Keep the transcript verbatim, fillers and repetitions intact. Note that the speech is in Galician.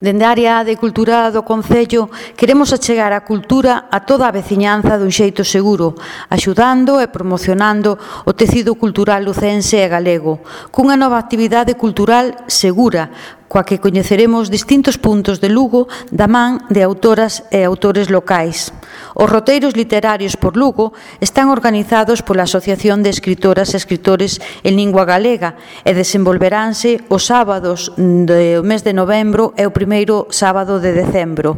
Dende a área de cultura do Concello queremos achegar a cultura a toda a veciñanza dun xeito seguro, axudando e promocionando o tecido cultural lucense e galego, cunha nova actividade cultural segura, coa que coñeceremos distintos puntos de Lugo da man de autoras e autores locais. Os roteiros literarios por Lugo están organizados pola Asociación de Escritoras e Escritores en Lingua Galega e desenvolveranse os sábados do mes de novembro e o primeiro sábado de decembro.